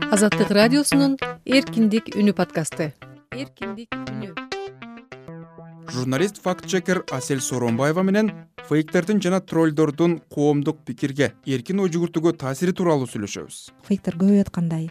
Азаттык радиосунун Эркиндик үнү подкасты. Эркиндик үнү. Журналист факт-чекер Асель Сооронбаева менен фейктердин жана троллдордун коомдук пикирге, эркин ой жүгүртүүгө таасири тууралуу сүйлөшөбүз. Фейктер көбөйүп аткандай,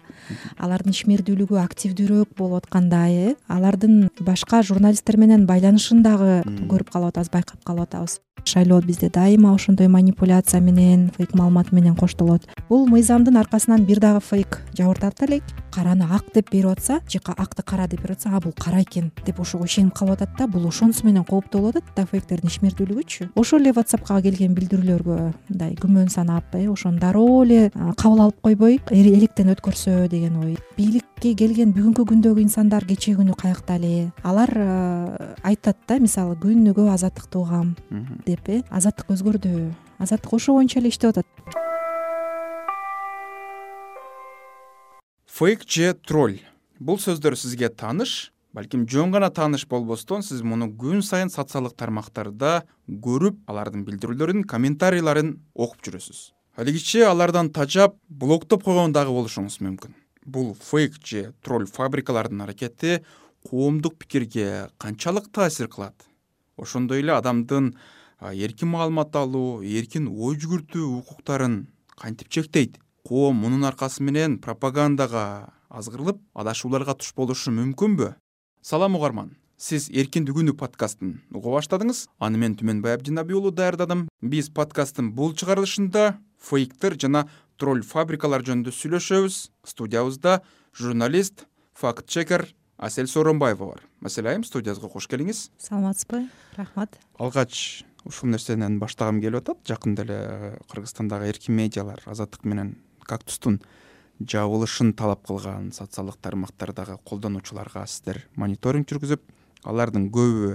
алардын ишмердүүлүгү активдүүрөөк болуп аткандай, алардын башка журналисттер менен байланышын дагы көрүп калып атабыз, байкап калып атабыз. Шайлоо бизде дайыма ошондой манипуляция менен, фейк маалымат менен коштолот. Бул мыйзамдын аркасынан бир дагы фейк жабыртат элек. Караны ак деп берип атса, же акты кара деп берип атса, бул кара экен деп ошого ишенип калып атат да, бул ошонусу менен кооптуу болуп атат да фейктердин ишмердүүлүгүчү. Ошол эле WhatsApp'ка келген билдирүүлөргө мындай күмөн санап, ошону дароо эле кабыл алып койбой, электен өткөрсө деген ой. Бийликке келген бүгүнкү күндөгү инсандар кечээ күнү каякта эле? Алар айтат да, мисалы күнүгө азаттыкты угам деп, азаттык өзгөрдү. Азаттык ошо боюнча эле иштеп атат. Фейк же тролль. Бул сөздөр сизге тааныш, балким жөн гана тааныш болбостон, сиз муну күн сайын социалдык тармактарда көрүп, алардын билдирүүлөрүн, комментарийларын окуп жүрөсүз. Алигиче алардан тажап, блоктоп койгон дагы болушуңуз мүмкүн. Бул фейк же тролль фабрикалардын аракети коомдук пикирге канчалык таасир кылат? Ошондой эле адамдын эркин маалымат алуу, эркин ой жүгүртүү укуктарын кантип чектейт? Коом мунун аркасы менен пропагандага азгырылып, адашууларга туш болушу мүмкүнбү? Салам угарман. Сиз Эркиндик үнү подкастын уга баштадыңыз. Аны мен Түмөнбай Абдинабий уулу даярдадым. Биз подкасттын бул чыгарылышында фейктер жана тролль фабрикалар жөнүндө сүйлөшөбүз. Студиябызда журналист, факт-чекер Асель Сооронбаева бар. Асель айым, студиябызга кош келиңиз. Саламатсызбы? Рахмат. Алгач ушул нерсенен баштагым келип атат. Жакында эле Кыргызстандагы эркин медиалар Азаттык менен Кактустун жабылышын талап кылган социалдык тармактардагы колдонуучуларга сиздер мониторинг жүргүзүп, алардын көбү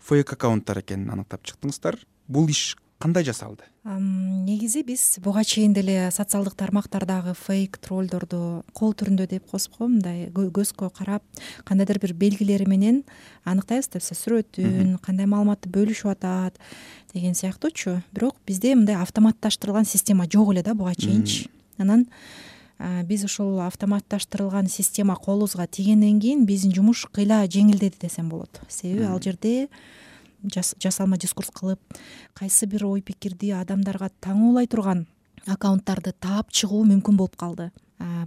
фейк аккаунттар экенин аныктап чыктыңыздар. Бул иш кандай жасалды? Негизи биз буга чейин деле социалдык тармактардагы фейк троллдорду кол түрүндө деп коесузго, мындай көзгө карап, кандайдыр бир белгилери менен аныктайбыз да, сүрөтүн, кандай маалыматты бөлүшүп атат деген сыяктуучу. Бирок бизде мындай автоматташтырылган система жок эле да буга чейинчи. Анан биз ушул автоматташтырылган система колубузга тийгенден кийин биздин жумуш кыйла жеңилдеди десем болот. Себеби ал жерде жасалма дискурс кылып, кайсы бир ой пикирди адамдарга таңуулай турган аккаунттарды таап чыгуу мүмкүн болуп калды.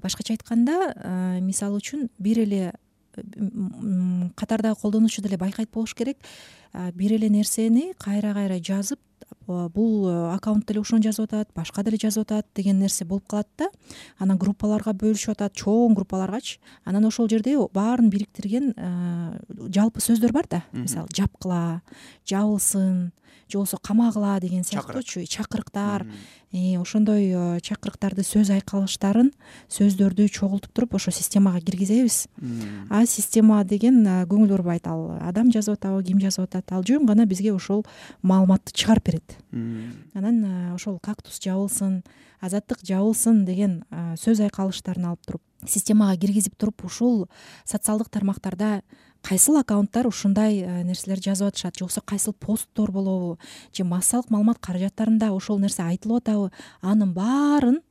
Башкача айтканда, мисалы үчүн бир эле катардагы колдонуучу деле байкайт болуш керек. Бир эле нерсени кайра жазып, бул аккаунт деле ошону жазып атат, башка деле жазып атат деген нерсе болуп калат да. Анан группаларга бөлүшүп атат, чоң группаларгачы. Анан ошол жерде баарын бириктирген жалпы сөздөр бар да. Мисалы жапкыла, жабылсын, же болбосо камагыла деген сыяктуучу чакырыктар. Ошондой чакырыктарды, сөз айкалыштарын, сөздөрдү чогултуп туруп ошо системага киргизебиз. Система деген көңүл бурбайт, ал адам жазып атабы, ким жазып атат, ал жөн гана бизге ошол маалыматты чыгарып берет. Анан ошол Кактус жабылсын, Азаттык жабылсын деген сөз айкалыштарын алып туруп, системага киргизип туруп, ушул социалдык тармактарда кайсыл аккаунттар ушундай нерселер жазып атышат, же болбосо кайсыл посттор болобу, же массалык маалымат каражаттарында ошол нерсе айтылып атабы, анын баарын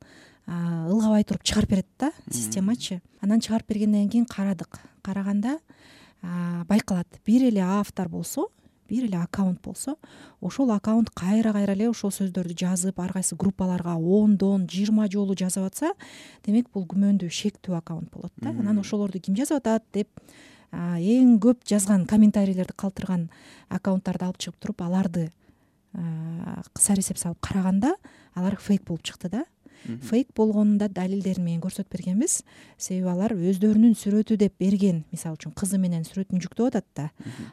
ылгабай туруп чыгарып берет да системачы. Анан чыгарып бергенден кийин караганда байкалат, бир эле автор болсо, бир эле аккаунт болсо, ошол аккаунт кайра эле ошол сөздөрдү жазып, ар кайсы группаларга 10 20 жолу жазып атса, демек бул күмөндүү, шектүү аккаунт болот да. Анан ошолорду ким жазып атат деп эң көп жазган комментарийлерди калтырган аккаунттарды алып чыгып туруп, аларды кыса эсеп салып караганда, алар фейк болуп чыкты да. Фейк болгонунда далилдерин менен көрсөтүп бергенбиз. Себеби алар өздөрүнүн сүрөтү деп берген, мисалы үчүн кызы менен сүрөтүн жүктөп атат да,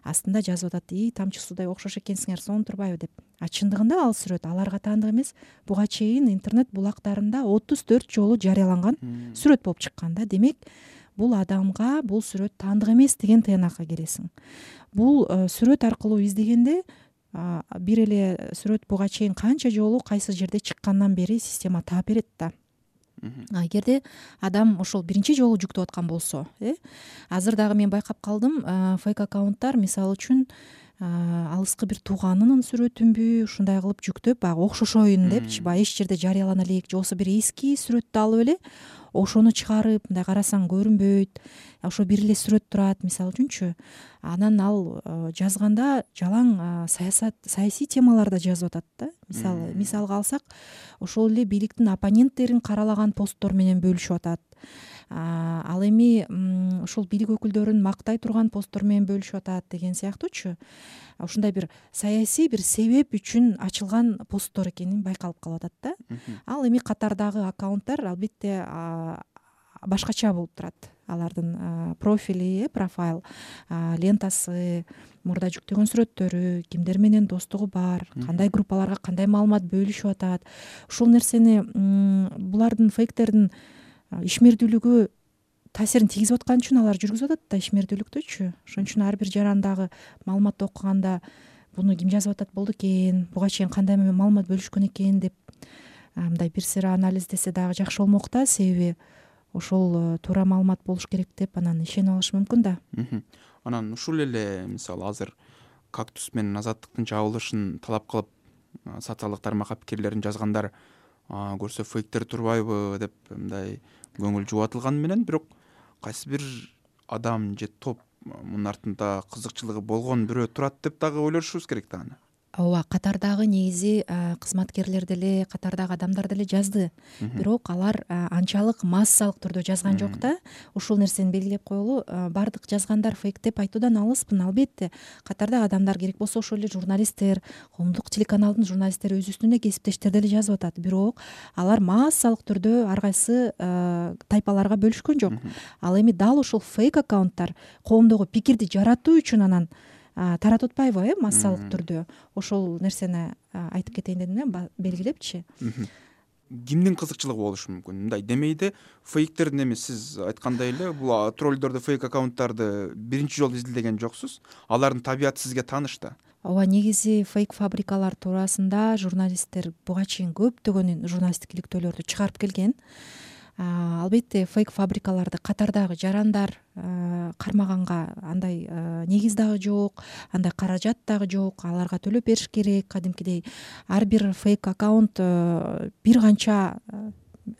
астында жазып атат: тамчы суудай окшош экенсиңер, сонун турбайбы деп. Чындыгында ал сүрөт аларга таандык эмес. Буга чейин интернет булактарында 34 жолу жарыяланган сүрөт болуп чыккан да. Демек, бул адамга бул сүрөт таандык эмес деген тыянакка келесиң. Бул сүрөт аркылуу издегенде бир эле сүрөт буга чейин канча жолу кайсы жерде чыккандан бери система таап берет да. Эгерде адам ошол биринчи жолу жүктөп аткан болсо, азыр дагы мен байкап калдым, фейк аккаунттар мисалы үчүн алыскы бир тууганынын сүрөтүнбү ушундай кылып жүктөп баягы окшошоюн депчи, баягы эч жерде жарыялана элек же болбосо бир эски сүрөттү алып эле ошону чыгарып мындай карасаң көрүнбөйт, ошо бир эле сүрөт турат мисалы үчүнчү. Анан ал жазганда жалаң саясий темаларда жазып атат да. Мисалга алсак, ошол эле бийликтин оппоненттерин каралаган посттор менен бөлүшүп атат. Ал эми ошол бийлик өкүлдөрүн мактай турган посттор менен бөлүшүп атат деген сыяктуучу. Ушундай бир саясий бир себеп үчүн ачылган посттор экени байкалып калып атат да. Ал эми катардагы аккаунттар албетте башкача болуп турат. Алардын профили, профайл лентасы, мурда жүктөгөн сүрөттөрү, кимдер менен достугу бар, кандай группаларга кандай маалымат бөлүшүп атат. Ушул нерсени булардын фейктердин ишмердүүлүгү таасирин тийгизип аткан үчүн алар жүргүзүп атат да ишмердүүлүктүчү. Ошон үчүн ар бир жарандагы маалыматты окуганда буну ким жазып атат болду экен, буга чейин кандай маалымат бөлүшкөн экен деп мындай бир сыйра анализдесе дагы жакшы болмок да, себеби ошол туура маалымат болуш керек деп анан ишенип алыш мүмкүн да. Анан ушул эле мисалы азыр Кактус менен Азаттыктын жабылышын талап кылып социалдык тармак пикирлерин жазгандар көрсө фейктер турбайбы деп мындай көңүл жубатылганы менен, бирок кайсы бир адам же топ мунун артында кызыкчылыгы болгон бирөө турат деп дагы ойлошубуз керек да аны. Ооба, катардагы негизи кызматкерлер деле, катардагы адамдар деле жазды. Бирок алар анчалык массалык түрдө жазган жок да. Ушул нерсени белгилеп коелу, бардык жазгандар фейк деп айтуудан алыспын. Албетте, катардагы адамдар, керек болсо ошол эле журналисттер, коомдук телеканалдын журналисттери өз үстүнө кесиптештер деле жазып атат. Бирок алар массалык түрдө ар кайсы тайпаларга бөлүшкөн жок. Ал эми дал ушул фейк аккаунттар коомдогу пикирди жаратуу үчүн анан таратып атпайбы, массалык түрдө. Ошол нерсени айтып кетейин дедим да, белгилепчи. Кимдин кызыкчылыгы болушу мүмкүн? Мындай демейди, фейктердин эми сиз айткандай эле бул троллдорду, фейк аккаунттарды биринчи жолу изилдеген жоксуз. Алардын табияты сизге тааныш да. Ооба, негизи фейк фабрикалар туурасында журналисттер буга чейин көптөгөн журналисттик иликтөөлөрдү чыгарып келген. Албетте, фейк фабрикаларды катардагы жарандар кармаганга андай негиз дагы жок, андай каражат дагы жок. Аларга төлөп бериш керек. Кадимкидей ар бир фейк аккаунт бир канча,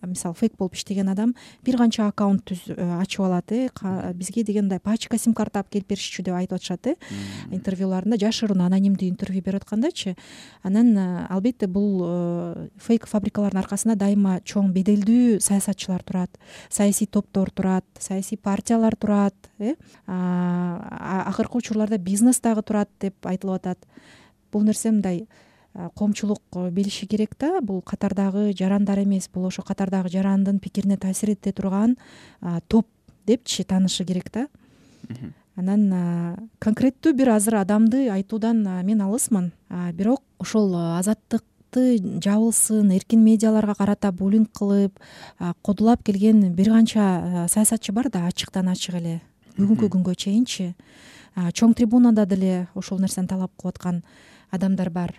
мисалы фейк болуп иштеген адам бир канча аккаунт ачып алат. Бизге дегендай пачка сим карта алып келип беришчү деп айтып атышат. Интервьюларында жашыруун анонимдүү интервью берип аткандачы. Анан албетте бул фейк фабрикалардын аркасында дайыма чоң беделдүү саясатчылар турат, саясий топтор турат, саясий партиялар турат. Акыркы учурларда бизнес дагы турат деп айтылып атат. Бул нерсе мындай коомчулук билиши керек да. Бул катардагы жарандар эмес, бул ошо катардагы жарандын пикирине таасир эте турган топ депчи таанышы керек да. Анан конкреттүү бир азыр адамды айтуудан мен алысмын. Бирок ошол Азаттыкты жабылсын, эркин медиаларга карата буллинг кылып, кодулап келген бир канча саясатчы бар да, ачыктан ачык эле бүгүнкү күнгө чейинчи. Чоң трибунада деле ошол нерсени талап кылып аткан адамдар бар.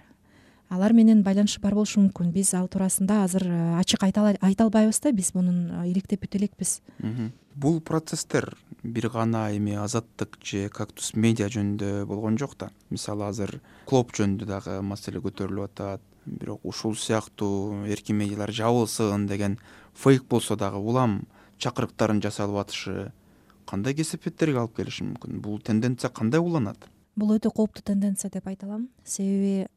Алар менен байланышы бар болушу мүмкүн. Биз ал туурасында азыр ачык айта албайбыз да, биз мунун иликтеп бүтө элекпиз. Бул процесстер бир гана эми Азаттык же Кактус медиа жөнүндө болгон жок да. Мисалы азыр клоп жөнүндө дагы маселе көтөрүлүп атат. Бирок ушул сыяктуу эркин медиалар жабылсын деген фейк болсо дагы улам чакырыктарын жасалып атышы кандай кесепеттерге алып келиши мүмкүн? Бул тенденция кандай уланат? Бул өтө кооптуу тенденция деп айта алам. Себеби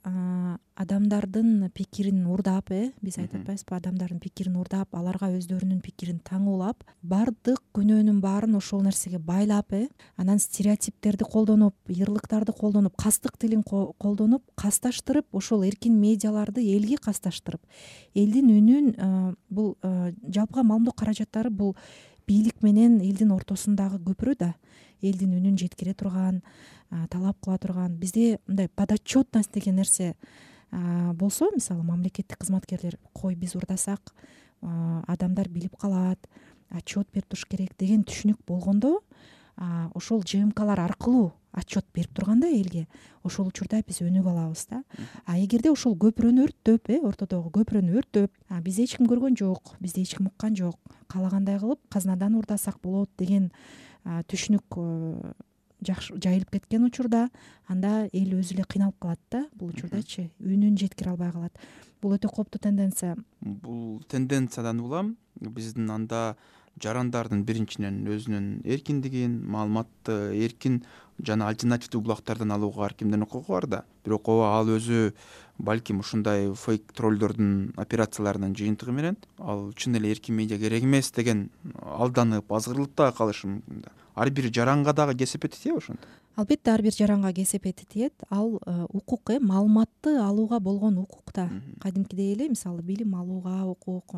адамдардын пикирин урдап, биз айтып атпайбызбы, адамдардын пикирин урдап, аларга өздөрүнүн пикирин таңуулап, бардык күнөөнүн баарын ошол нерсеге байлап, анан стереотиптерди колдонуп, ыйырлыктарды колдонуп, кастык тилин колдонуп, касташтырып, ошол эркин медиаларды элге касташтырып, элдин үнүн, бул жалпыга маалымдоо каражаттары бул бийлик менен элдин ортосундагы көпүрө да. Элдин үнүн жеткире турган, талап кыла турган. Бизде мындай подотчетность деген нерсе болсо, мисалы мамлекеттик кызматкерлер, кой биз урдасак адамдар билип калат, отчет берип туруш керек деген түшүнүк болгондо, ошол ЖМКлар аркылуу отчет берип турганда элге, ошол учурда биз өнүгүп алабыз да. Эгерде ошол көпүрөнү өрттөп, ортодогу көпүрөнү өрттөп, бизди эч ким көргөн жок, бизди эч ким уккан жок, каалагандай кылып казнадан урдасак болот деген түшүнүк жайылып кеткен учурда анда эл өзү эле кыйналып калат да, бул учурдачы үнүн жеткире албай калат. Бул өтө кооптуу тенденция. Бул тенденциядан улам биздин анда жарандардын биринчиден өзүнүн эркиндигин, маалыматты эркин жана альтернативдүү булактардан алууга ар кимдин укугу бар да. Бирок ооба ал өзү балким ушундай фейк троллдордун операцияларынын жыйынтыгы менен ал чын эле эркин медиа керек эмес деген алданып, азгырылып дагы калышы мүмкүн да. Ар бир жаранга дагы кесепети тиеби ошондо? Албетте ар бир жаранга кесепети тиет. Ал укук, маалыматты алууга болгон укук да. Кадимкидей эле мисалы билим алууга укук,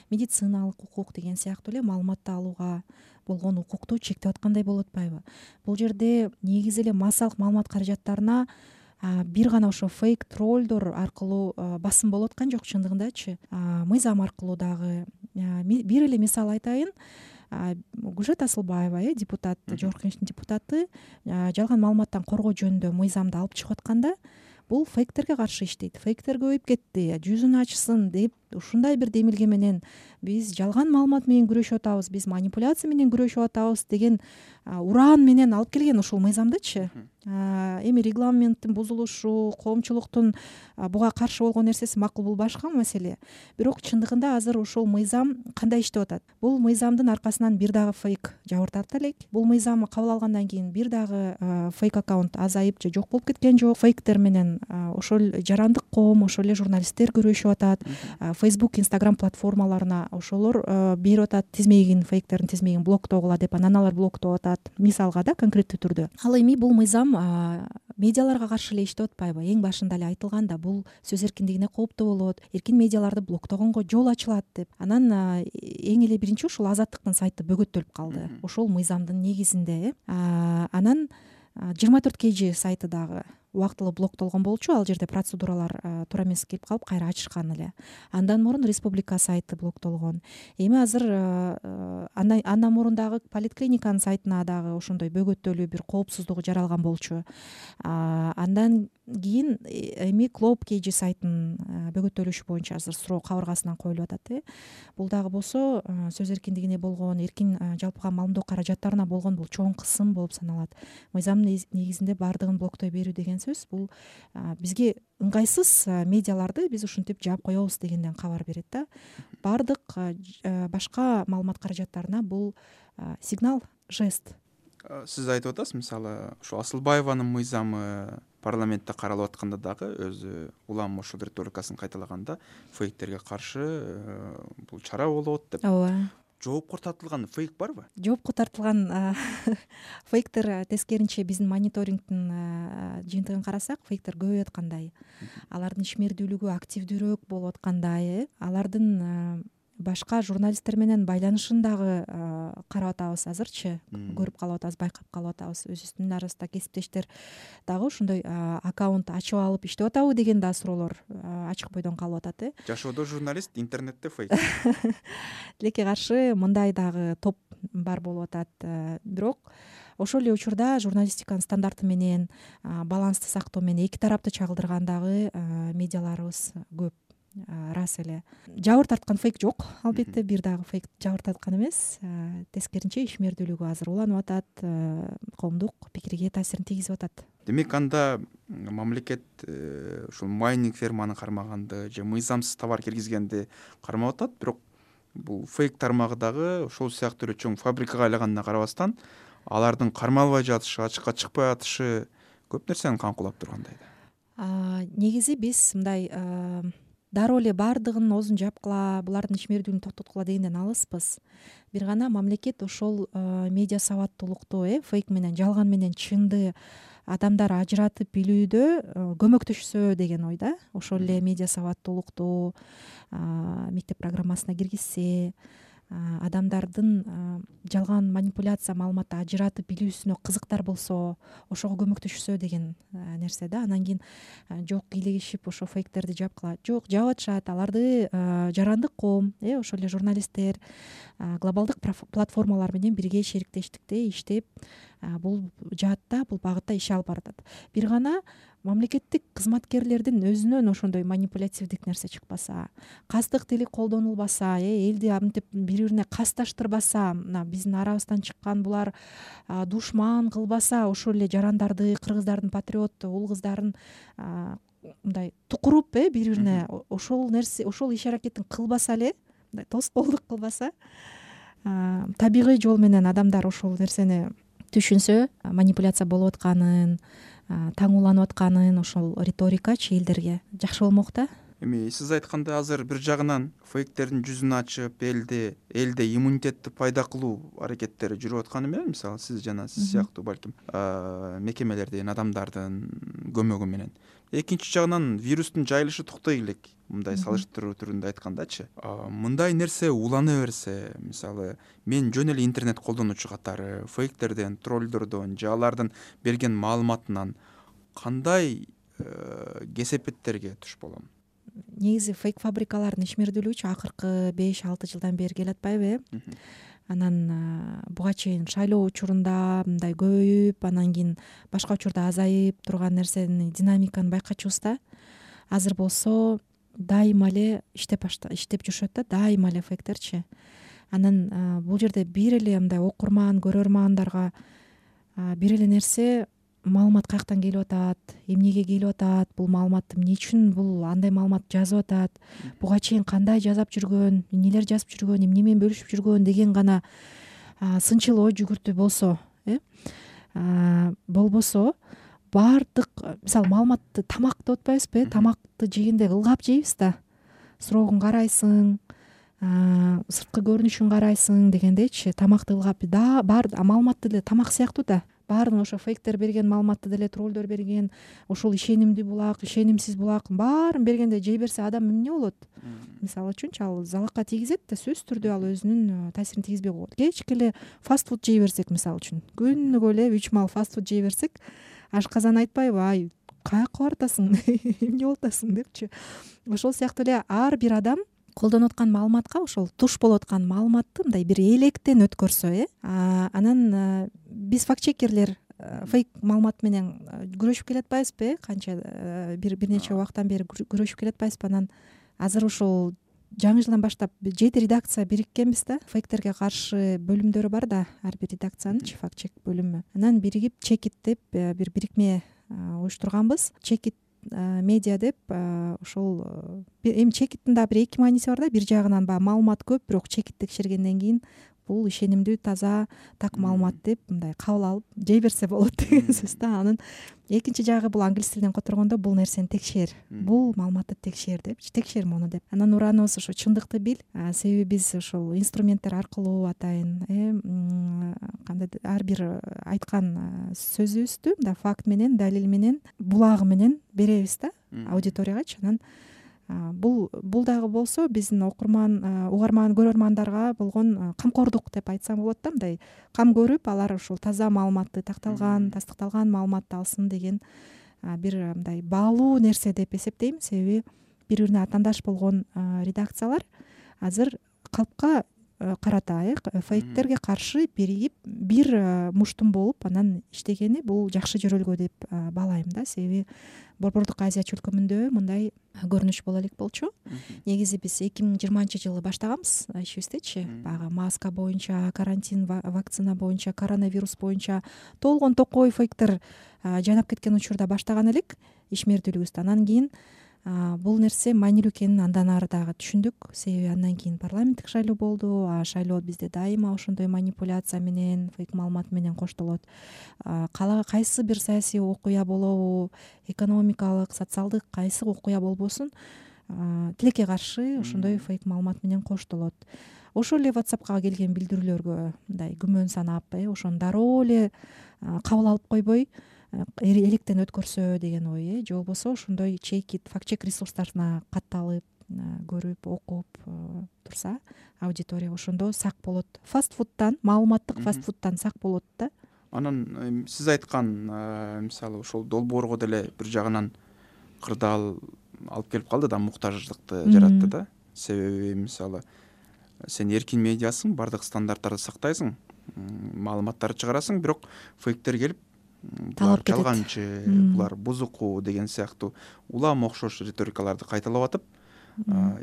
медициналык укук деген сыяктуу эле маалыматты алууга болгон укукту чектеп аткандай болуп атпайбы? Бул жерде негизи эле массалык маалымат каражаттарына бир гана ошо фейк троллдор аркылуу басым болуп аткан жок чындыгындачы. Мыйзам аркылуу дагы бир эле мисал айтайын. Гүлшат Асылбаева, депутат, Жогорку Кеңештин депутаты, жалган маалыматтан коргоо жөнүндө мыйзамды алып чыгып атканда бул фейктерге каршы иштейт. Фейктер көбөйүп кетти, жүзүн ачсын деп ушундай бир демилге менен биз жалган маалымат менен күрөшүп атабыз, биз манипуляция менен күрөшүп атабыз деген ураан менен алып келген ушул мыйзамдычы. Эми регламенттин бузулушу, коомчулуктун буга каршы болгон нерсеси макул, бул башка маселе. Бирок чындыгында азыр ушул мыйзам кандай иштеп атат? Бул мыйзамдын аркасынан бир дагы фейк жабыр тарта элек. Бул мыйзам кабыл алгандан кийин бир дагы фейк аккаунт азайып же жок болуп кеткен жок. Фейктер менен ошол жарандык коом, ошол эле журналисттер күрөшүп атат. Facebook, Instagram платформаларына ошолор берип атат тизмегин, фейктердин тизмегин блоктогула деп, анан алар блоктоп атат. Мисалга да конкреттүү түрдө. Ал эми бул мыйзам медиаларга каршы эле иштеп атпайбы? Эң башында эле айтылганда бул сөз эркиндигине кооптуу болот, эркин медиаларды блоктогонго жол ачылат деп. Анан эң эле биринчи ушул Азаттыктын сайты бөгөттөлүп калды ошол мыйзамдын негизинде. Анан 24 KG сайты дагы убактылуу блоктолгон болчу. Ал жерде процедуралар туура эмес келип калып кайра ачышкан эле. Андан мурун Республика сайты блоктолгон. Эми азыр андан мурун дагы Политклиниканын сайтына дагы ошондой бөгөттөлүү бир коопсуздугу жаралган болчу. Андан кийин эми Клоп KG сайтынын бөгөттөлүшү боюнча азыр суроо кабыргасынан коюлуп атат. Бул дагы болсо сөз эркиндигине болгон, эркин жалпыга маалымдоо каражаттарына болгон бул чоң кысым болуп саналат. Мыйзамдын негизинде баардыгын блоктой берүү деген сөз бул бизге ыңгайсыз медиаларды биз ушинтип жаап коебуз дегенден кабар берет да. Баардык башка маалымат каражаттарына бул сигнал, жест. Сиз айтып атасыз, мисалы ушу Асылбаеванын мыйзамы парламентте каралып атканда дагы өзү улам ошол риторикасын кайталаганда фейктерге каршы бул чара болот деп. Ооба. Жоопко тартылган фейк барбы? Жоопко тартылган фейктер тескеринче биздин мониторингдин жыйынтыгын карасак, фейктер көбөйүп аткандай, алардын ишмердүүлүгү активдүүрөөк болуп аткандай, алардын башка журналисттер менен байланышын дагы карап атабыз азырчы, көрүп калып атабыз, байкап калып атабыз. Өзүбүздүн арасында кесиптештер дагы ошондой аккаунт ачып алып иштеп атабы деген да суроолор ачык бойдон калып атат. Жашоодо журналист, интернетте фейк. Тилекке каршы мындай дагы топ бар болуп атат. Бирок ошол эле учурда журналистиканын стандарты менен, балансты сактоо менен эки тарапты чагылдырган дагы медиаларыбыз көп. Рас эле жабыр тарткан фейк жок, албетте бир дагы фейк жабыр тарткан эмес. Тескеринче ишмердүүлүгү азыр уланып атат, коомдук пикирге таасирин тийгизип атат. Демек анда мамлекет ушул майнинг ферманы кармаганды же мыйзамсыз товар киргизгенди кармап атат, бирок бул фейк тармагы дагы ошол сыяктуу эле чоң фабрикага айланганына карабастан алардын кармалбай жатышы, ачыкка чыкпай атышы көп нерсени камкулап тургандай да. Негизи биз мындай дароо эле баардыгын оозун жапкыла, булардын ишмердүүлүгүн токтоткула дегенден алыспыз. Бир гана мамлекет ошол медиа сабаттуулукту, фейк менен, жалган менен чынды адамдар ажыратып билүүдө көмөктөшсө деген ойда. Ошол эле медиа сабаттуулукту мектеп программасына киргизсе, адамдардын жалган манипуляция маалыматты ажыратып билүүсүнө кызыктар болсо, ошого көмөктөшсө деген нерсе да. Анан кийин жок кийлигишип ошо фейктерди жапкыла. Жок, жаап атышат. Аларды жарандык коом, ошол эле журналисттер глобалдык платформалар менен бирге шериктештикте иштеп бул жаатта, бул багытта иш алып баратат. Бир гана мамлекеттик кызматкерлердин өзүнөн ошондой манипулятивдик нерсе чыкпаса, кастык тили колдонулбаса, элди мынтип бири бирине касташтырбаса, мына биздин арабыздан чыккан булар душман кылбаса, ошол эле жарандарды, кыргыздардын патриот уул кыздарын мындай тукуруп бири бирине ошол нерсе, ошол иш аракетин кылбаса эле, мындай тоскоолдук кылбаса, табигый жол менен адамдар ошол нерсени түшүнсө, манипуляция болуп атканын, таңууланып атканын, ошол риторикачы элдерге жакшы болмок да. Эми сиз айткандай азыр бир жагынан фейктердин жүзүн ачып, элде иммунитетти пайда кылуу аракеттери жүрүп атканы менен, мисалы сиз жана сиз сыяктуу балким мекемелердин, адамдардын көмөгү менен. Экинчи жагынан вирустун жайылышы токтой элек, мындай салыштыруу түрүндө айткандачы. Мындай нерсе улана берсе, мисалы мен жөн эле интернет колдонуучу катары фейктерден, троллдордон же алардын берген маалыматынан кандай кесепеттерге туш болом? Негизи фейк фабрикалардын ишмердүүлүгүчү акыркы 5-6 жылдан бери келатпайбы? Анан буга чейин шайлоо учурунда мындай көбөйүп, анан кийин башка учурда азайып турган нерсени, динамиканы байкачубуз да. Азыр болсо дайыма эле иштеп жүрүшөт да, дайыма эле фейктерчи. Анан бул жерде бир эле мындай окурман, көрөрмандарга бир эле нерсе, маалымат каяктан келип атат, эмнеге келип атат, бул маалыматты эмне үчүн бул андай маалымат жазып атат, буга чейин кандай жазап жүргөн, эмнелер жазып жүргөн, эмне менен бөлүшүп жүргөн деген гана сынчыл ой жүгүртүү болсо, болбосо баардык, мисалы маалыматты тамак деп атпайбызбы? Тамакты жегенде ылгап жейбиз да. Срогун карайсың, сырткы көрүнүшүн карайсың дегендейчи, тамакты ылгап маалыматты деле тамак сыяктуу да. Баарын ошо фейктер берген маалыматты деле троллдор берген, ошол ишенимдүү булак, ишенимсиз булак, баарын бергенде жей берсе адам эмне болот? Мисалы үчүнчү ал залакка тийгизет да, сөзсүз түрдө ал өзүнүн таасирин тийгизбей коет. Кечке эле фастфуд жей берсек, мисалы үчүн, күнүгө эле 3 маал фастфуд жей берсек, ашказан айтпайбы, ай каяка баратасың, эмне болуп атасың депчи. Ошол сыяктуу эле ар бир адам колдонуп аткан маалыматка, ошол туш болуп аткан маалыматты мындай бир электен өткөрсө, анан биз фактчекерлер фейк маалымат менен күрөшүп келатпайбызбы? Канча бир нече убактан бери күрөшүп келатпайбызбы? Анан азыр ушул жаңы жылдан баштап 7 редакция бириккенбиз да. Фейктерге каршы бөлүмдөрү бар да, ар бир редакциянын фактчек бөлүмү. Анан биригип чекит деп бир бирикме уюштурганбыз. Чекит медиа деп, ошол эми чекиттин да бир эки мааниси бар да. Бир жагынан баягы маалымат көп, бирок чекит текшергенден кийин бул ишенимдүү, таза, так маалымат деп мындай кабыл алып жей берсе болот деген сөз да. Анын экинчи жагы бул англис тилинен которгондо бул нерсени текшер, бул маалыматты текшер деп, текшер муну деп. Анан ураныбыз ошо чындыкты бил, себеби биз ошол инструменттер аркылуу атайын кандай ар бир айткан сөзүбүздү мындай факт менен, далил менен, булагы менен беребиз да аудиториягачы. Анан бул дагы болсо биздин угарман, көрөрмандарга болгон камкордук деп айтсам болот да. Мындай кам көрүп, алар ушул таза маалыматты, тастыкталган маалыматты алсын деген бир мындай баалуу нерсе деп эсептейм. Себеби бири-бирине атаандаш болгон редакциялар азыр калпка карата фейктерге каршы биригип, бир муштум болуп анан иштегени бул жакшы жөрөлгө деп баалайм да. Себеби Борбордук Азия чөлкөмүндө мындай көрүнүш боло элек болчу. Негизи биз 2020-жылы баштаганбыз ишибиздечи. Баягы маска боюнча, карантин, вакцина боюнча, коронавирус боюнча толгон токой фейктер жайнап кеткен учурда баштаган элек ишмердүүлүгүбүздү. Анан кийин бул нерсе маанилүү экенин андан ары дагы түшүндүк. Себеби андан кийин парламенттик шайлоо болду. Шайлоо бизде дайыма ошондой манипуляция менен, фейк маалымат менен коштолот. Кайсы бир саясий окуя болобу, экономикалык, социалдык кайсы окуя болбосун, тилекке каршы ошондой фейк маалымат менен коштолот. Ошол эле WhatsAppка келген билдирүүлөргө мындай күмөн санап, ошону дароо эле кабыл алып койбой, электен өткөрсө деген ой, же болбосо ошондой чекит, фактчек ресурстарына катталып, көрүп, окуп турса, аудитория ошондо сак болот. Фастфудтан, маалыматтык фастфудтан сак болот да. Анан сиз айткан мисалы ошол долбоорго деле бир жагынан кырдаал алып келип калды да, муктаждыкты жаратты да. Себеби мисалы сен эркин медиасың, бардык стандарттарды сактайсың, маалыматтарды чыгарасың, бирок фейктер келип талап кетет. жалганчы, булар бузуку деген сыяктуу улам окшош риторикаларды кайталап атып,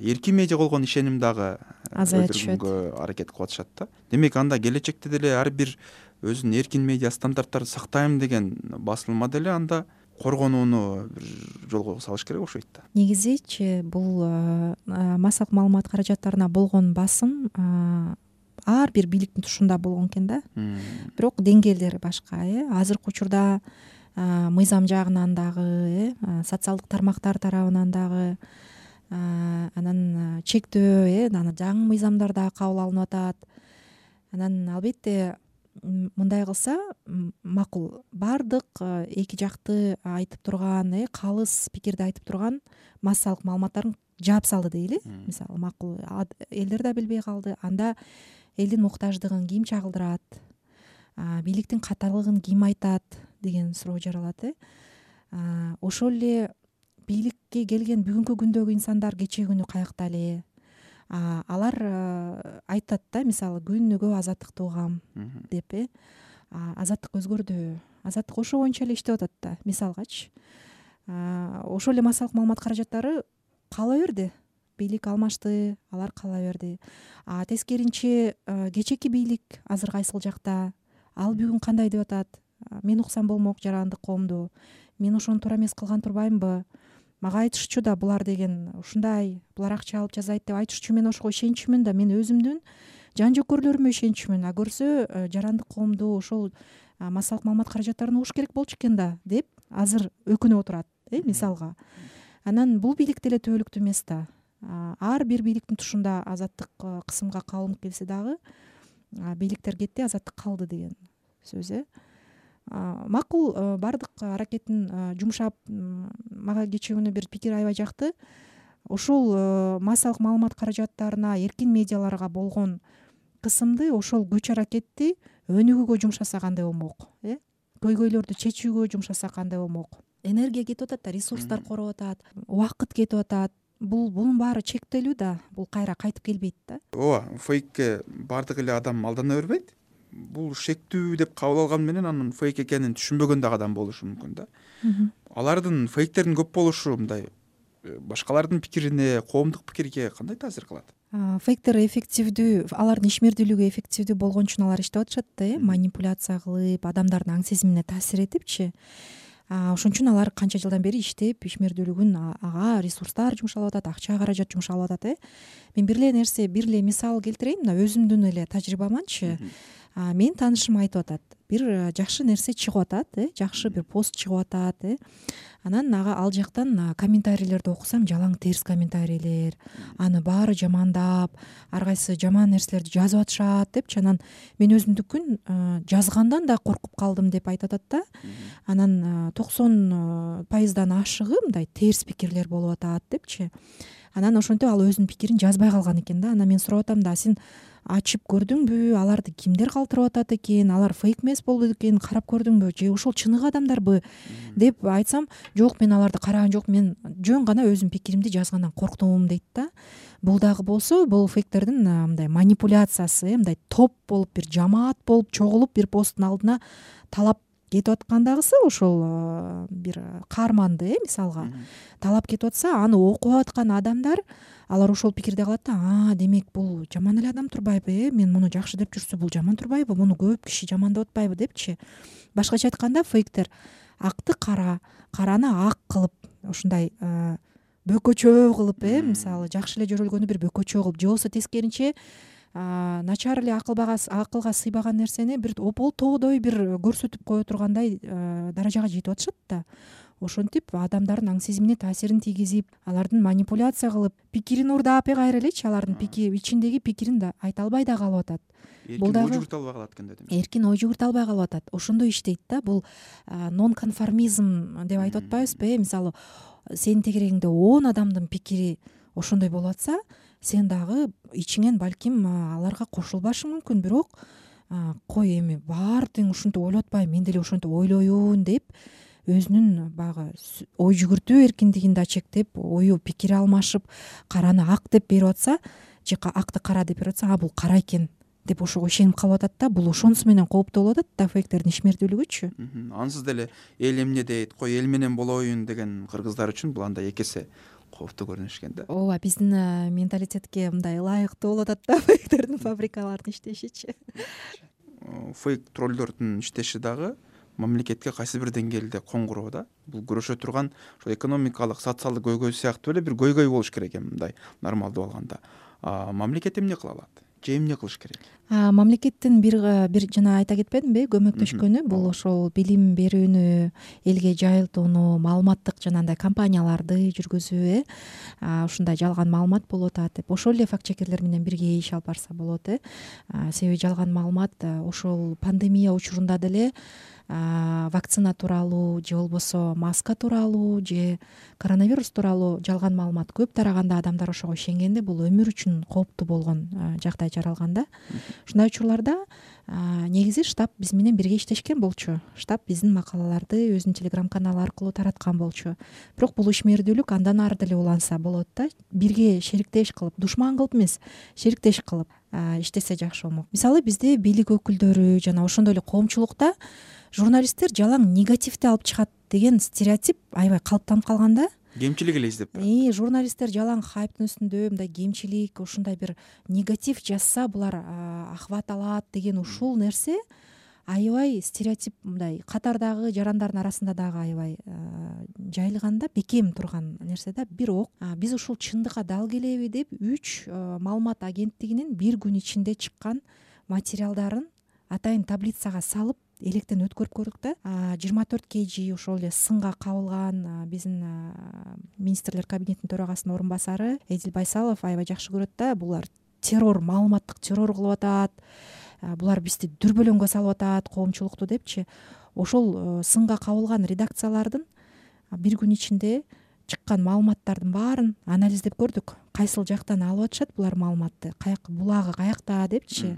эркин медиа болгон ишеним дагы азая түшөт, өлтүргөнгө аракет кылып атышат да. Демек анда келечекте деле ар бир өзүнүн эркин медиа стандарттарын сактайм деген басылма деле анда коргонууну бир жолго салыш керек окшойт да. Негизичи бул массалык маалымат каражаттарына болгон басым ар бир бийликтин тушунда болгон экен да. Бирок деңгээлдери башка. Азыркы учурда мыйзам жагынан дагы, социалдык тармактар тарабынан дагы, анан чектөө, анан жаңы мыйзамдар дагы кабыл алынып атат. Анан албетте мындай кылса макул. Бардык эки жакты айтып турган, калыс пикирди айтып турган массалык маалыматтарын жаап салды дейли. Мисалы, макул элдер да билбей калды. Анда элдин муктаждыгын ким чагылдырат, бийликтин каталыгын ким айтат деген суроо жаралат. Ошол эле бийликке келген бүгүнкү күндөгү инсандар кечээ күнү каякта эле, алар айтат да, мисалы, күнүгө азаттыкты угам деп. Азаттык өзгөрдү, азаттык ошо боюнча эле иштеп атат да, мисалгачы. Ошол эле массалык маалымат каражаттары кала берди, бийлик алмашты, алар кала берди. Тескеринче кечээки бийлик азыр кайсыл жакта, ал бүгүн кандай деп атат, мен уксам болмок жарандык коомду, мен ошону туура эмес кылган турбаймынбы, мага айтышчу да булар деген ушундай, булар акча алып жазайт деп айтышчу, мен ошого ишенчүмүн да, мен өзүмдүн жан жөкөрлөрүмө ишенчүмүн, көрсө жарандык коомду ошол массалык маалымат каражаттарын угуш керек болчу экен да деп азыр өкүнүп отурат, мисалга. Анан бул бийлик деле түбөлүктүү эмес да. Ар бир бийликтин тушунда азаттык кысымга калынып келсе дагы бийликтер кетти, азаттык калды деген сөз. Макул, бардык аракетин жумшап, мага кечээ күнү бир пикир аябай жакты. Ошол массалык маалымат каражаттарына, эркин медиаларга болгон кысымды, ошол күч аракетти өнүгүүгө жумшаса кандай болмок, көйгөйлөрдү чечүүгө жумшаса кандай болмок. Энергия кетип атат да, ресурстар короп атат, убакыт кетип атат. Бунун баары чектелүү да, бул кайра кайтып келбейт да. Ооба, фейкке бардык эле адам алдана бербейт. Бул шектүү деп кабыл алган менен анын фейк экенин түшүнбөгөн дагы адам болушу мүмкүн да. Алардын фейктердин көп болушу мындай башкалардын пикирине, коомдук пикирге кандай таасир кылат? Фейктер эффективдүү, алардын ишмердүүлүгү эффективдүү болгон үчүн алар иштеп атышат да, манипуляция кылып, адамдардын аң сезимине таасир этипчи. Ошон үчүн алар канча жылдан бери иштеп, ишмердүүлүгүн ага ресурстар жумшалып атат, акча каражат жумшалып атат. Мен бир эле мисал келтирейин, мына өзүмдүн эле тажрыйбаманчы. Менин таанышым айтып атат, бир жакшы нерсе чыгып атат, жакшы бир пост чыгып атат. Анан ал жактан комментарийлерди окусам, жалаң терс комментарийлер, аны баары жамандап, ар кайсы жаман нерселерди жазып атышат депчи. Анан мен өзүмдүкүн жазгандан да коркуп калдым деп айтып атат да. Анан 90% ашыгы мындай терс пикирлер болуп атат депчи. Анан ошентип ал өзүнүн пикирин жазбай калган экен да. Анан мен сурап атам да, сен ачып көрдүңбү, аларды кимдер калтырып атат экен, алар фейк эмес болду экен, карап көрдүңбү, же ушул чыныгы адамдарбы деп айтсам, жок, мен аларды караган жок, мен жөн гана өзүмдүн пикиримди жазгандан корктум дейт да. Бул дагы болсо, бул фейктердин мындай манипуляциясы, мындай топ болуп, бир жамаат болуп чогулуп бир посттун алдына талап кетип аткандагысы, ошол бир каарманды мисалга талап кетип атса, аны окуп аткан адамдар алар ошол пикирде калат да, демек бул жаман эле адам турбайбы, мен муну жакшы деп жүрсө бул жаман турбайбы, муну көп киши жамандап атпайбы депчи. Башкача айтканда, фейктер акты кара, караны ак кылып, ушундай бөкөчөө кылып, мисалы жакшы эле жөрөлгөнү бир бөкөчөө кылып, же болбосо тескеринче начар эле акылга сыйбаган нерсени бир ополтоодой бир көрсөтүп кое тургандай даражага жетип атышат да. Ошентип адамдардын аң сезимине таасирин тийгизип, алардын манипуляция кылып, пикирин урдап кайра элечи, алардын ичиндеги пикирин да айта албай да калып атат. Бул дагы ой жүгүртө албай калат экен да. Эркин ой жүгүртө албай калып атат. Ошондой иштейт да. Бул нон конформизм деп айтып атпайбызбы? Мисалы, сенин тегерегиңде 10 адамдын пикири ошондой болуп атса, сен дагы ичиңен балким аларга кошулбашың мүмкүн, бирок кой эми баары тең ушинтип ойлоп атпайбы, мен деле ошентип ойлоюн деп өзүнүн баягы ой жүгүртүү эркиндигин да чектеп, ою пикир алмашып, караны ак деп берип атса, же акты кара деп берип атса, бул кара экен деп ошого ишенип калып атат да. Бул ошонусу менен кооптуу болуп атат да, фейктердин ишмердүүлүгүчү. Ансыз деле эл эмне дейт, кой эл менен болоюн деген кыргыздар үчүн бул андай эки эсе кооптуу көрүнүш экен да. Ооба, биздин менталитетке мындай ылайыктуу болуп атат да фейктердин фабрикалардын иштешичи. Фейк троллдордун иштеши дагы мамлекетке кайсы бир деңгээлде коңгуроо да. Бул күрөшө турган ошо экономикалык, социалдык көйгөй сыяктуу эле бир көйгөй болуш керек эми мындай нормалдуу алганда. Мамлекет эмне кыла алат? Же эмне кылыш керек? Мамлекеттин бир жана айта кетпедимби, көмөктөшкөнү бул ошол билим берүүнү, элге жайылтууну, маалыматтык жанагындай кампанияларды жүргүзүү, ушундай жалган маалымат болуп атат деп ошол эле факт чекерлер менен бирге иш алып барса болот. Себеби жалган маалымат ошол пандемия учурунда деле вакцина тууралуу же болбосо маска тууралуу же коронавирус тууралуу жалган маалымат көп тараганда адамдар ошого ишенгенде бул өмүр үчүн кооптуу болгон жагдай жаралган да. Ушундай учурларда негизи штаб биз менен бирге иштешкен болчу. Штаб биздин макалаларды өзүнүн телеграм каналы аркылуу тараткан болчу. Бирок бул ишмердүүлүк андан ары деле уланса болот да. Бирге шериктеш кылып, душман кылып эмес, шериктеш кылып иштесе жакшы болмок. Мисалы бизде бийлик өкүлдөрү жана ошондой эле коомчулукта журналисттер жалаң негативди алып чыгат деген стереотип аябай калыптанып калган да. Кемчилик эле издеп турат. Журналисттер жалаң хайптын үстүндө мындай кемчилик, ушундай бир негатив жазса булар ахват алат деген ушул нерсе аябай стереотип, мындай катардагы жарандардын арасында дагы аябай жайылган да, бекем турган нерсе да. Бирок биз ушул чындыкка дал келеби деп 3 маалымат агенттигинин бир күн ичинде чыккан материалдарын атайын таблицага салып электен өткөрүп көрдүк да. 24 kg ошол эле сынга кабылган биздин министрлер кабинетинин төрагасынын орун басары Эдил Байсалов аябай жакшы көрөт да. Булар террор, маалыматтык террор кылып атат, булар бизди дүрбөлөңгө салып атат, коомчулукту депчи. Ошол сынга кабылган редакциялардын бир күн ичинде чыккан маалыматтардын баарын анализдеп көрдүк. Кайсыл жактан алып атышат булар маалыматты, булагы каякта депчи.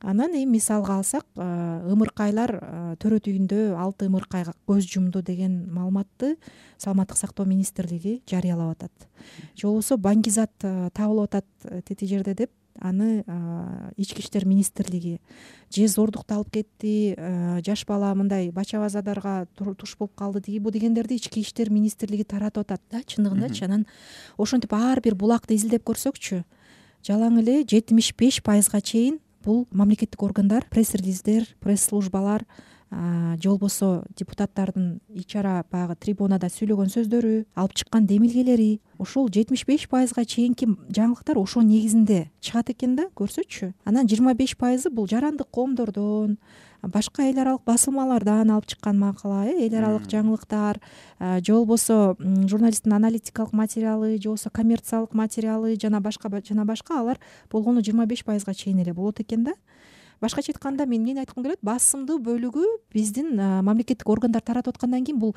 Анан эми мисалга алсак, ымыркайлар төрөт үйүндө 6 ымыркай көз жумду деген маалыматты Саламаттык сактоо министрлиги жарыялап атат. Же болбосо баңгизат табылып атат тети жерде деп аны ички иштер министрлиги же зордукту алып кетти, жаш бала мындай бача базадарга туш болуп калды деги бу дегендерди ички иштер министрлиги таратып атат да, чындыгындачы. Анан ошентип ар бир булакты изилдеп көрсөкчү, жалаң эле 75%га чейин бул мамлекеттик органдар, пресс-релиздер, пресс-службалар же болбосо депутаттардын ичара баягы трибунада сүйлөгөн сөздөрү, алып чыккан демилгелери, ошол 75%га чейинки жаңылыктар ошо негизинде чыгат экен да, көрсөчү. Анан 25% бул жарандык коомдордон, башка эл аралык басылмалардан алып чыккан макала, эл аралык жаңылыктар, же болбосо журналисттин аналитикалык материалы, же болбосо коммерциялык материалы жана башка алар болгону 25%га чейин эле болот экен да. Башкача айтканда мен эмнени айткым келет, басымдуу бөлүгү биздин мамлекеттик органдар таратып аткандан кийин бул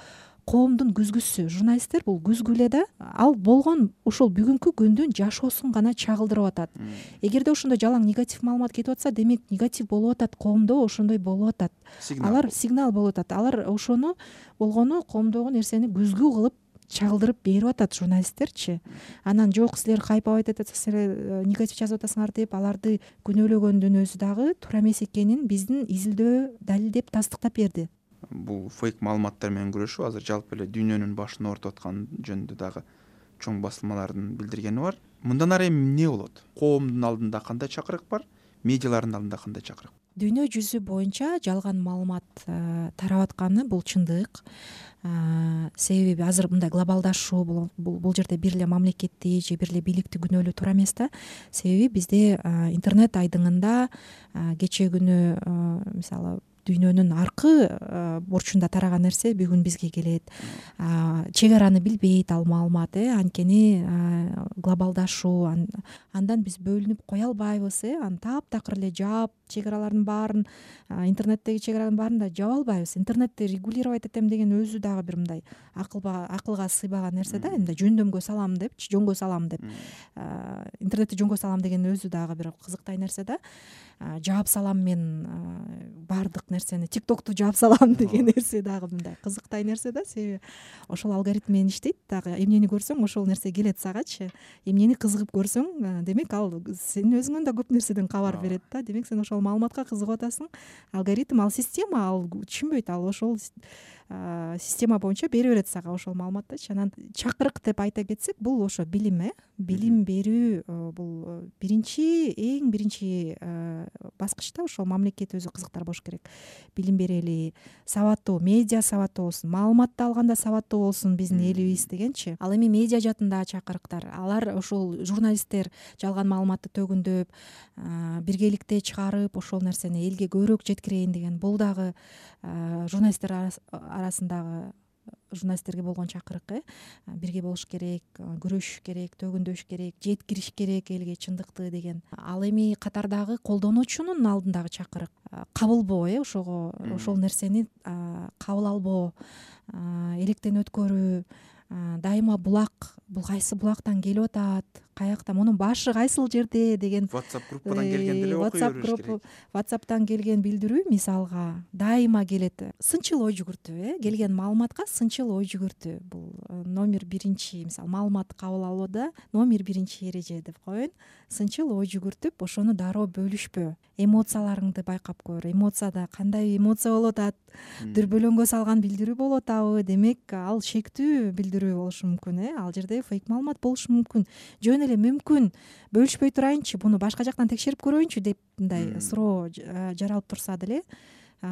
коомдун күзгүсү, журналисттер бул күзгү эле да. Ал болгон ушул бүгүнкү күндүн жашоосун гана чагылдырып атат. Эгерде ошондой жалаң негатив маалымат кетип атса, демек негатив болуп атат, коомдо ошондой болуп атат. Алар сигнал болуп атат. Алар ошону болгону коомдогу нерсени күзгү кылып чагылдырып берип атат журналисттерчи. Анан жок, силер хайповать этип атасыңар, негатив жазып атасыңар деп аларды күнөөлөгөндүн өзү дагы туура эмес экенин биздин изилдөө далилдеп тастыктап берди. Бул фейк маалыматтар менен күрөшүү азыр жалпы эле дүйнөнүн башын оорутуп аткан жөнүндө дагы чоң басылмалардын билдиргени бар. Мындан ары эми эмне болот? Коомдун алдында кандай чакырык бар? Медиалардын алдында кандай чакырык? Дүйнө жүзү боюнча жалган маалымат тарап атканы бул чындык. Себеби азыр мындай глобалдашуу бул жерде бир эле мамлекетти же бир эле бийликти күнөөлөө туура эмес да. Себеби бизде интернет айдыңында кечээ күнү мисалы дүйнөнүн аркы бурчунда тараган нерсе бүгүн бизге келет. Чек араны билбейт ал маалымат, анткени глобалдашуу, андан биз бөлүнүп кое албайбыз, аны таптакыр эле жаап, чек аралардын баарын, интернеттеги чек аранын баарын да жаба албайбыз. Интернетти регулировать этем деген өзү дагы бир мындай акылга сыйбаган нерсе да. Мындай жөндөмгө салам депчи, жөнгө салам деп. Интернетти жөнгө салам деген өзү дагы бир кызыктай нерсе да. жаап салам мен баардык нерсени, тиктокту жаап салам деген нерсе дагы мындай кызыктай нерсе да. Себеби ошол алгоритм менен иштейт дагы. Эмнени көрсөң ошол нерсе келет сагачы. Эмнени кызыгып көрсөң, демек ал сен өзүңөн да көп нерседен кабар берет да. Демек сен ошол маалыматка кызыгып атасың. Алгоритм, ал система, ал түшүнбөйт, ал ошол система боюнча бере берет сага ошол маалыматтычы. Анан чакырык деп айта кетсек, бул ошо билим, билим берүү, бул эң биринчи баскычта ошол мамлекет өзү кызыктар болуш керек. Билим берели, сабаттуу, медиа сабаттуу болсун, маалыматты алганда сабаттуу болсун биздин элибиз дегенчи. Ал эми медиа жаатындагы чакырыктар, алар ошол журналисттер жалган маалыматты төгүндөп, биргеликте чыгарып, ошол нерсени элге көбүрөөк жеткирейин деген, бул дагы журналисттер арасындагы журналисттерге болгон чакырык. Бирге болуш керек, күрөшүш керек, төгүндөш керек, жеткириш керек элге чындыкты деген. Ал эми катардагы колдонуучунун алдындагы чакырык кабылбоо, ошого ошол нерсени кабыл албоо, электен өткөрүү, дайыма булак, бул кайсы булактан келип атат, каякта, мунун башы кайсыл жерде деген WhatsApp группадан келген деле окуй бериш керек. WhatsApp'тан келген билдирүү мисалга дайыма келет. Сынчыл ой жүгүртүү, келген маалыматка сынчыл ой жүгүртүү. Бул номер биринчи, мисалы маалыматты кабыл алууда номер биринчи эреже деп коеюн. Сынчыл ой жүгүртүп, ошону дароо бөлүшпөө. Эмоцияларыңды байкап көр. Эмоцияда кандай эмоция болуп атат? Дүрбөлөңгө салган билдирүү болуп атабы? Демек, ал шектүү билдирүү болушу мүмкүн, Ал жерде фейк маалымат болушу мүмкүн. Жөн эле мүмкүн бөлүшпөй турайынчы, буну башка жактан текшерип көрөйүнчү деп мындай суроо жаралып турса деле,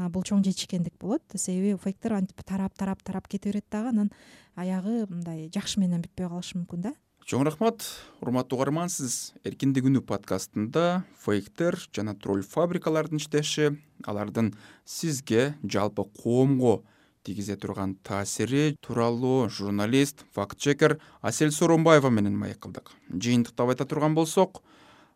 бул чоң жетишкендик болот. Себеби фейктер антип тарап кете берет дагы, анан аягы мындай жакшы менен бүтпөй калышы мүмкүн да. Чоң рахмат, урматтуу угарман. Сиз Эркиндик үнү подкастында фейктер жана тролль фабрикалардын иштеши, алардын сизге, жалпы коомго тийгизе турган таасири тууралуу журналист, факт-чекер Асель Сооронбаева менен маек кылдык. Жыйынтыктап айта турган болсок,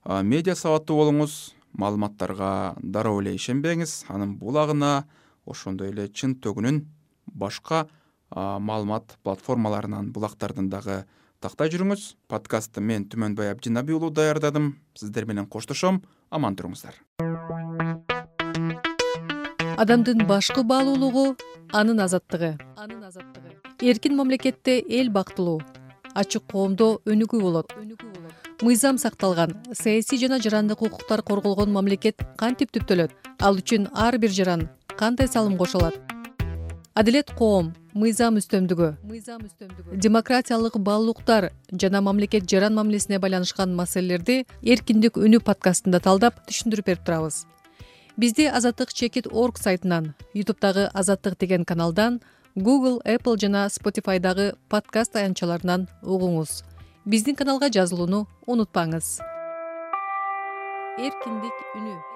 медиа сабаттуу болуңуз, маалыматтарга дароо эле ишенбеңиз, анын булагына, ошондой эле чын төгүнүн башка маалымат платформаларынан, булактардан дагы тактай жүрүңүз. Подкастты мен Түмөнбай Абдинаби уулу даярдадым. Сиздер менен коштошом. Аман туруңуздар. Адамдын башкы баалуулугу анын азаттыгы. Эркин мамлекетте эл бактылуу, ачык коомдо өнүгүү болот. Мыйзам сакталган, саясий жана жарандык укуктар корголгон мамлекет кантип түптөлөт? Ал үчүн ар бир жаран кандай салым кошулат? Адилет коом, мыйзам үстөмдүгү, демократиялык баалуулуктар жана мамлекет жаран мамилесине байланышкан маселелерди Эркиндик үнү подкастында талдап түшүндүрүп берип турабыз. Бизди azattik.org сайтынан, YouTube'дагы Азаттык деген каналдан, Google, Apple жана Spotify'дагы подкаст аянтчаларынан угуңуз. Биздин каналга жазылууну унутпаңыз. Эркиндик үнү.